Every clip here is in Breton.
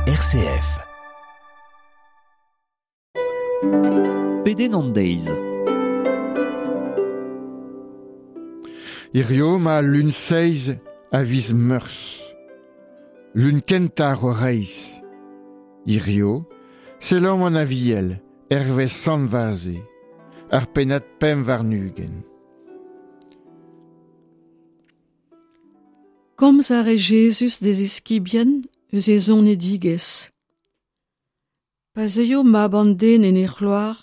RCF. Pedenn an deiz. Hirio ma lun seiz a viz Meurzh. Lun kentañ ar reizh. Hirio, selaomp an Aviel, hervez Sant Vaze, ar pennad 25. Komz a rae Jezuz d'e ziskibien eus e zonedigezh. Pa zeuio mab an den en e c'hloar,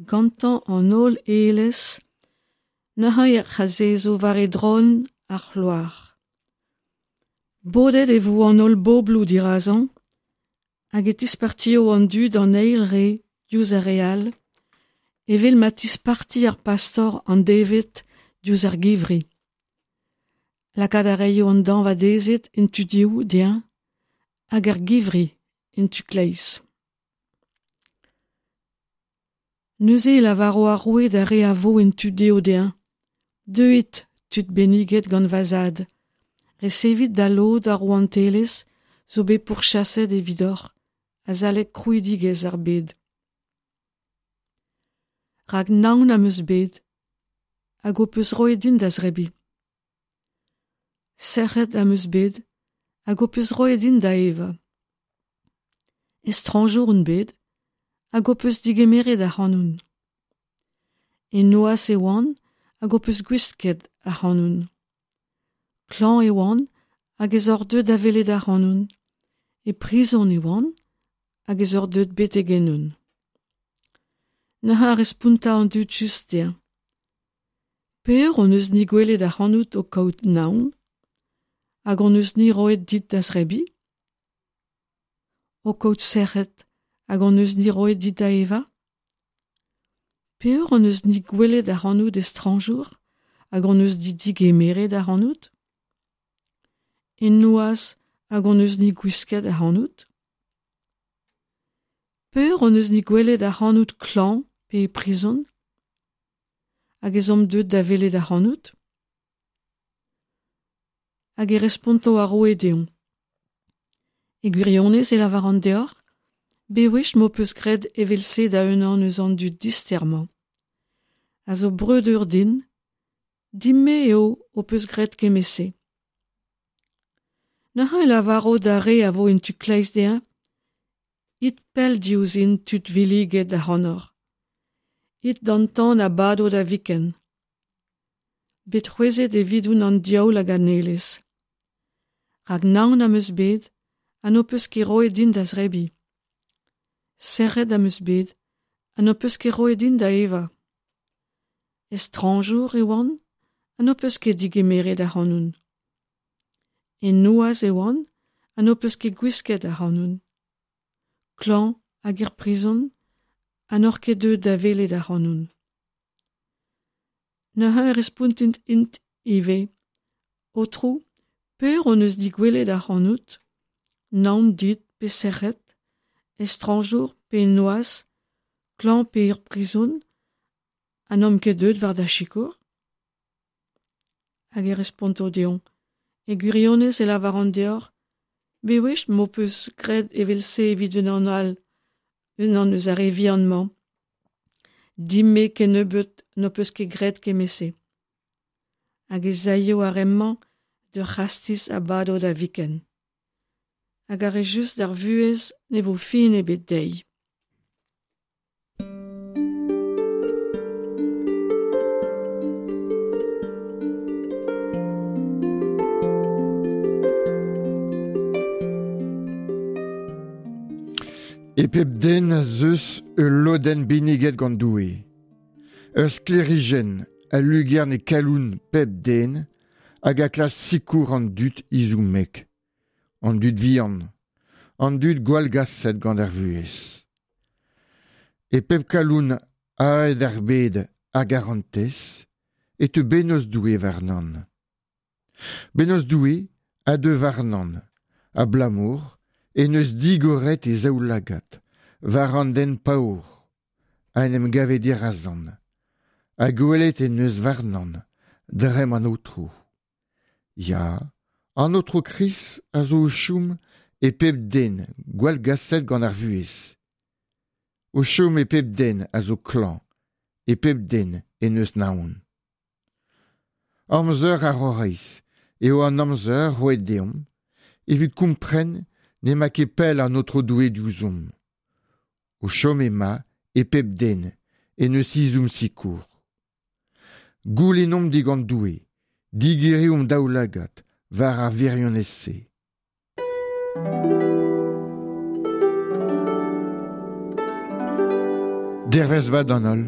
gantañ an holl aelez, neuze ec'h azezo war e dron ar c'hloar. Bodet e vo an holl bobloù dirazañ, hag e tispartio an dud an eil re diouzh ar re all, evel ma tisparti ar pastor an deñved diouzh ar givri. Lakaat a raio an dañvadezed en tu dehoù dezhañ hag ar givri en tu kleiz. Neuze e lavaro ar roue d'ar re a vo en tu dehoù dezhañ: Deuit, tud benniget gant va zad, resevit da lod ar rouantelezh zo bet pourchaset evidoc'h azalek krouidigezh ar bed. Rak naon am eus bet hag ho peus roet din da zebriñ. Sec'hed am eus bet hag ho peus roet din da evañ. Estrañjour on bet hag ho peus degemeret ac'hanon. E noazh e oan hag ho peus gwisket ac'hanon. Klañv e oan hag ez oc'h deuet da welet ac'hanon. E prizon e oan hag ez oc'h deuet betek ennon. Neuze a responta an dud just dezhañ. Peur hon eus-ni gwelet ac'hanout o kaout naon hag hon eus-ni roet dit da zebriñ? O kaout sec'hed hag hon eus-ni roet dit da evañ? Peur hon eus-ni gwelet ac'hanout estrañjour hag hon eus-ni degemeret ac'hanout? En noazh hag hon eus-ni gwisket ac'hanout? Peur hon eus-ni gwelet ac'hanout klañv pe e prizon? Hag ez omp deuet da welet ac'hanout? Hag e responto ar roue deomp. E gwirionez e lavaran deoc'h, bewech m'ho peus graet evel-se da unan eus an dud dister-mañ, a zo breudeur din, din-me eo ho peus graet kement-se. Neuze e lavaro d'ar re a vo en tu kleiz dezhañ, It pell diouzhin tud villiget ac'hanoc'h. It d'an tan a bado da viken. Bet c'hwezhet evidon an diaoul hag an aelez. Rak naon am eus bet ha n'ho peus ket roet din da zebriñ. Sec'hed am eus bet ha n'ho peus ket roet din da evañ. Estrañjour e oan ha n'ho peus ket degemeret ac'hanon. En noazh e oan ha n'ho peus ket gwisket ac'hanon. Klañv hag er prizon ha n'oc'h ket deuet da welet ac'hanon. Neuze e respontint int ivez: Aotrou, peur hon eus digwelet ac'hanout, naon dit pe sec'hed, estrañjour pe en noazh, klañv pe er prizon, ha n'omp ket deuet war da sikour? Hag e responto deomp: E gwirionez e lavaran deoc'h, bewech m'ho peus graet evel-se evit unan all, unan eus ar re vihan-mañ. Din-me kennebeut n'ho peus ket graet kement-se. Hag ez aio ar re-mañ d'ur c'hastiz a bado da viken. Hag ar re just d'ar vuhez ne vo fin ebet dezhi. E pep den ez eus ul lodenn benniget gant Doue. Ur sklêrijenn a lugern e kalon pep den hag a klask sikour an dud izommek, an dud vihan, an dud gwallgaset gant ar vuhez. E pep kalon aet ar bed a garantez e teu bennozh Doue warnan. Bennozh Doue a deu warnan, abalamour en deus digoret e zaoulagad war an den paour a en em gave dirazan, ha gwelet en deus warnan dremm an Aotrou. Ya, an Aotrou Krist a zo o chom e pep den gwallgaset gant ar vuhez. O chom e pep den a zo klañv, e pep den en deus naon. Amzer ar Horaiz eo an amzer roet deomp evit kompren n'emañ ket pell an Aotrou Doue diouzhomp. O chom emañ e pep den en deus ezhomm sikour. Goulennomp digant Doue digeriñ hon daoulagad war ar wirionez-se. Dervezh vat d'an holl.